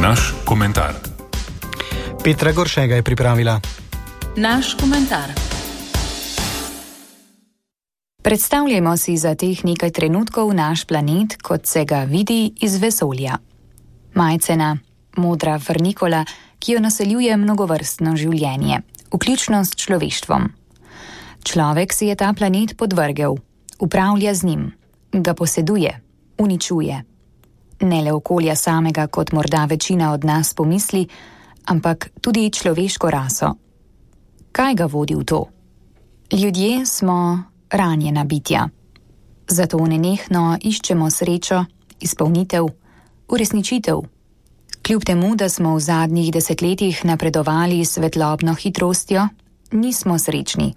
Naš komentar. Petra Goršega je pripravila. Naš komentar. Predstavljajmo si za teh nekaj trenutkov naš planet, kot se ga vidi iz vesolja. Majcena, modra frnikola, ki jo naseljuje mnogovrstno življenje, vključno s človeštvom. Človek si je ta planet podvrgel, upravlja z njim, ga poseduje, uničuje. Ne le okolja samega, kot morda večina od nas pomisli, ampak tudi človeško raso. Kaj ga vodi v to? Ljudje smo ranjena bitja. Zato nenehno iščemo srečo, izpolnitev, uresničitev. Kljub temu, da smo v zadnjih desetletjih napredovali s svetlobno hitrostjo, nismo srečni.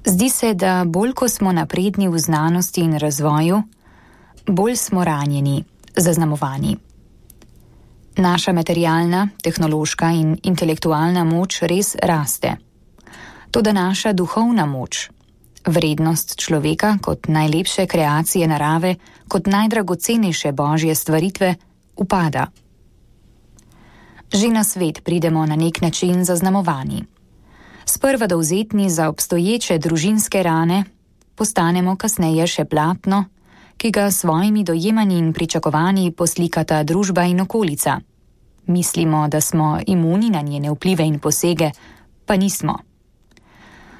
Zdi se, da bolj ko smo napredni v znanosti in razvoju, bolj smo ranjeni, zaznamovani. Naša materialna, tehnološka in intelektualna moč res raste. Toda naša duhovna moč, vrednost človeka kot najlepše kreacije narave, kot najdragocenejše božje stvaritve, upada. Že na svet pridemo na nek način zaznamovani. Sprva dovzetni za obstoječe družinske rane, postanemo kasneje še platno, ki ga s svojimi dojemanji in pričakovanji poslikata družba in okolica. Mislimo, da smo imuni na njene vplive in posege, pa nismo.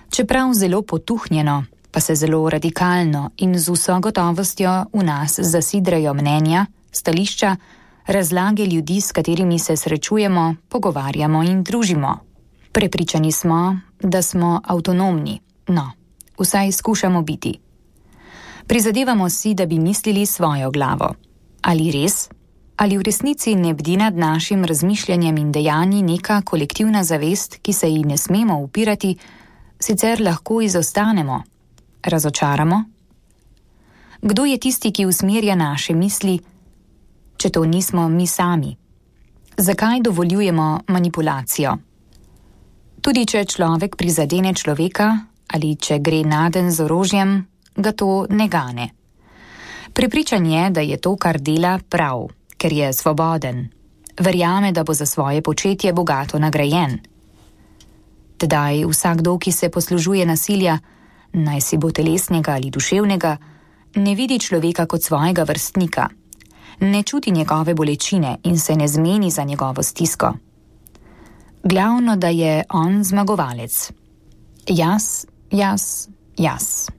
Čeprav zelo potuhnjeno, pa se zelo radikalno in z vso gotovostjo v nas zasidrajo mnenja, stališča, razlage ljudi, s katerimi se srečujemo, pogovarjamo in družimo. Prepričani smo, da smo avtonomni, no, vsaj skušamo biti. Prizadevamo si, da bi mislili svojo glavo. Ali res? Ali v resnici ne bdi nad našim razmišljanjem in dejanji neka kolektivna zavest, ki se ji ne smemo upirati, sicer lahko izostanemo, razočaramo? Kdo je tisti, ki usmerja naše misli, če to nismo mi sami? Zakaj dovoljujemo manipulacijo? Tudi če človek prizadene človeka ali če gre naden z orožjem, ga to ne gane. Prepričan je, da je to, kar dela, prav, ker je svoboden. Verjame, da bo za svoje početje bogato nagrajen. Tedaj vsakdo, ki se poslužuje nasilja, naj si bo telesnega ali duševnega, ne vidi človeka kot svojega vrstnika, ne čuti njegove bolečine in se ne zmeni za njegovo stisko. Glavno, da je on zmagovalec. Jaz, jaz, jaz.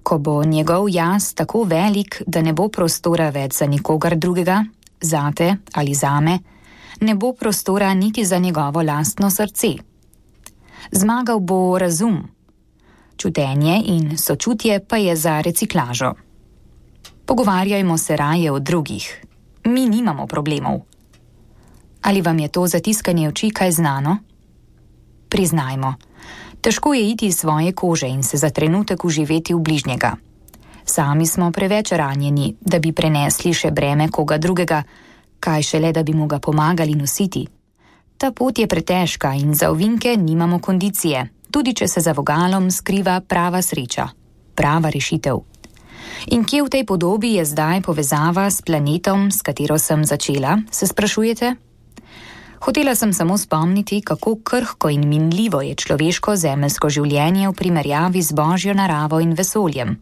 Ko bo njegov jaz tako velik, da ne bo prostora več za nikogar drugega, zate ali zame, ne bo prostora niti za njegovo lastno srce. Zmagal bo razum. Čutenje in sočutje pa je za reciklažo. Pogovarjajmo se raje o drugih. Mi nimamo problemov. Ali vam je to zatiskanje oči kaj znano? Priznajmo, težko je iti iz svoje kože in se za trenutek uživeti v bližnjega. Sami smo preveč ranjeni, da bi prenesli še breme koga drugega, kaj šele, da bi mu ga pomagali nositi. Ta pot je pretežka in za ovinke nimamo kondicije, tudi če se za vogalom skriva prava sreča, prava rešitev. In kje v tej podobi je zdaj povezava s planetom, s katero sem začela, se sprašujete? Hotela sem samo spomniti, kako krhko in minljivo je človeško zemeljsko življenje v primerjavi z božjo naravo in vesoljem.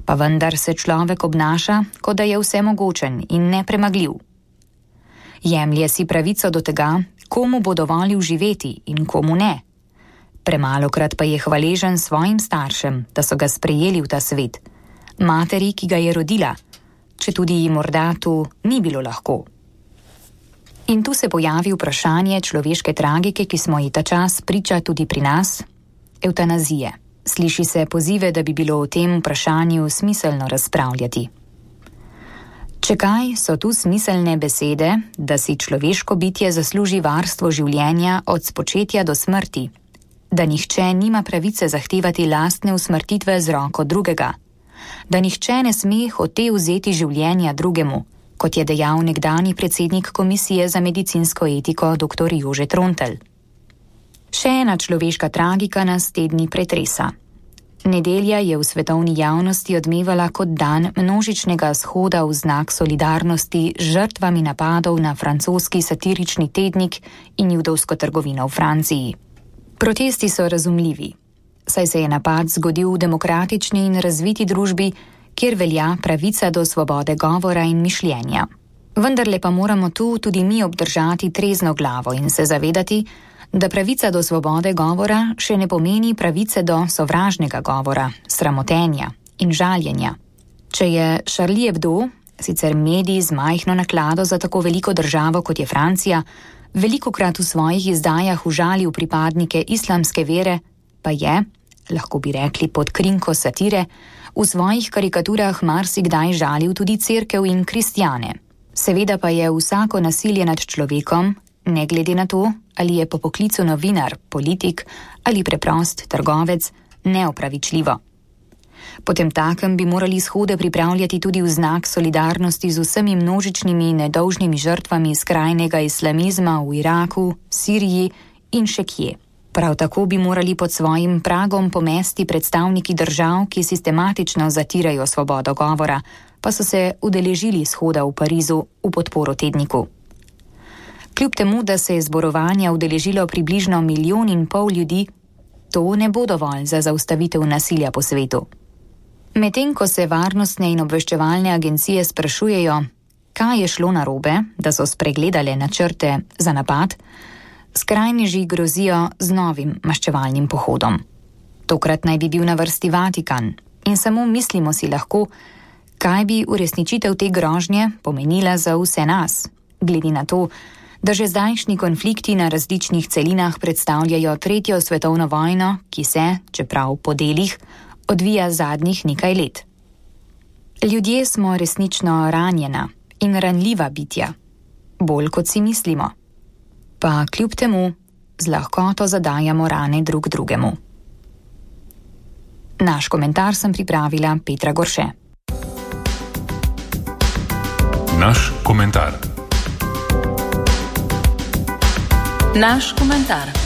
Pa vendar se človek obnaša, kot da je vsemogočen in nepremagljiv. Jemlje si pravico do tega, komu bo dovolil živeti in komu ne. Premalokrat pa je hvaležen svojim staršem, da so ga sprejeli v ta svet, materi, ki ga je rodila, četudi ji morda tu ni bilo lahko. In tu se pojavi vprašanje človeške tragike, ki smo ji ta čas priča tudi pri nas, evtanazije. Sliši se pozive, da bi bilo o tem vprašanju smiselno razpravljati. Če kaj, so tu smiselne besede, da si človeško bitje zasluži varstvo življenja od spočetja do smrti, da nihče nima pravice zahtevati lastne usmrtitve z roko drugega, da nihče ne sme hote vzeti življenja drugemu, kot je dejal nekdanji predsednik Komisije za medicinsko etiko dr. Jože Trontelj. Še ena človeška tragika nas te dni pretresa. Nedelja je v svetovni javnosti odmevala kot dan množičnega shoda v znak solidarnosti z žrtvami napadov na francoski satirični tednik in judovsko trgovino v Franciji. Protesti so razumljivi, saj se je napad zgodil v demokratični in razviti družbi, kjer velja pravica do svobode govora in mišljenja. Vendarle pa moramo tu tudi mi obdržati trezno glavo in se zavedati, da pravica do svobode govora še ne pomeni pravice do sovražnega govora, sramotenja in žaljenja. Če je Charlie Hebdo, sicer medij z majhno naklado za tako veliko državo kot je Francija, velikokrat v svojih izdajah užalil pripadnike islamske vere, pa je, lahko bi rekli pod krinko satire, v svojih karikaturah marsikdaj žalil tudi cerkev in kristjane. Seveda pa je vsako nasilje nad človekom, ne glede na to, ali je po poklicu novinar, politik ali preprost trgovec, neopravičljivo. Potemtakem bi morali shode pripravljati tudi v znak solidarnosti z vsemi množičnimi nedolžnimi žrtvami skrajnega islamizma v Iraku, Siriji in še kje. Prav tako bi morali pod svojim pragom pomesti predstavniki držav, ki sistematično zatirajo svobodo govora, pa so se udeležili shoda v Parizu v podporo tedniku. Kljub temu, da se je zborovanja udeležilo približno 1,5 milijona ljudi, to ne bo dovolj za zaustavitev nasilja po svetu. Medtem ko se varnostne in obveščevalne agencije sprašujejo, kaj je šlo narobe, da so spregledale načrte za napad, skrajneži grozijo z novim maščevalnim pohodom. Tokrat naj bi bil na vrsti Vatikan in samo mislimo si lahko, kaj bi uresničitev te grožnje pomenila za vse nas, glede na to, da že zdajšnji konflikti na različnih celinah predstavljajo 3. svetovno vojno, ki se, čeprav po delih, odvija zadnjih nekaj let. Ljudje smo resnično ranjena in ranljiva bitja, bolj kot si mislimo. Pa kljub temu z lahkoto zadajamo rane drug drugemu. Naš komentar sem pripravila Petra Gorše. Naš komentar. Naš komentar.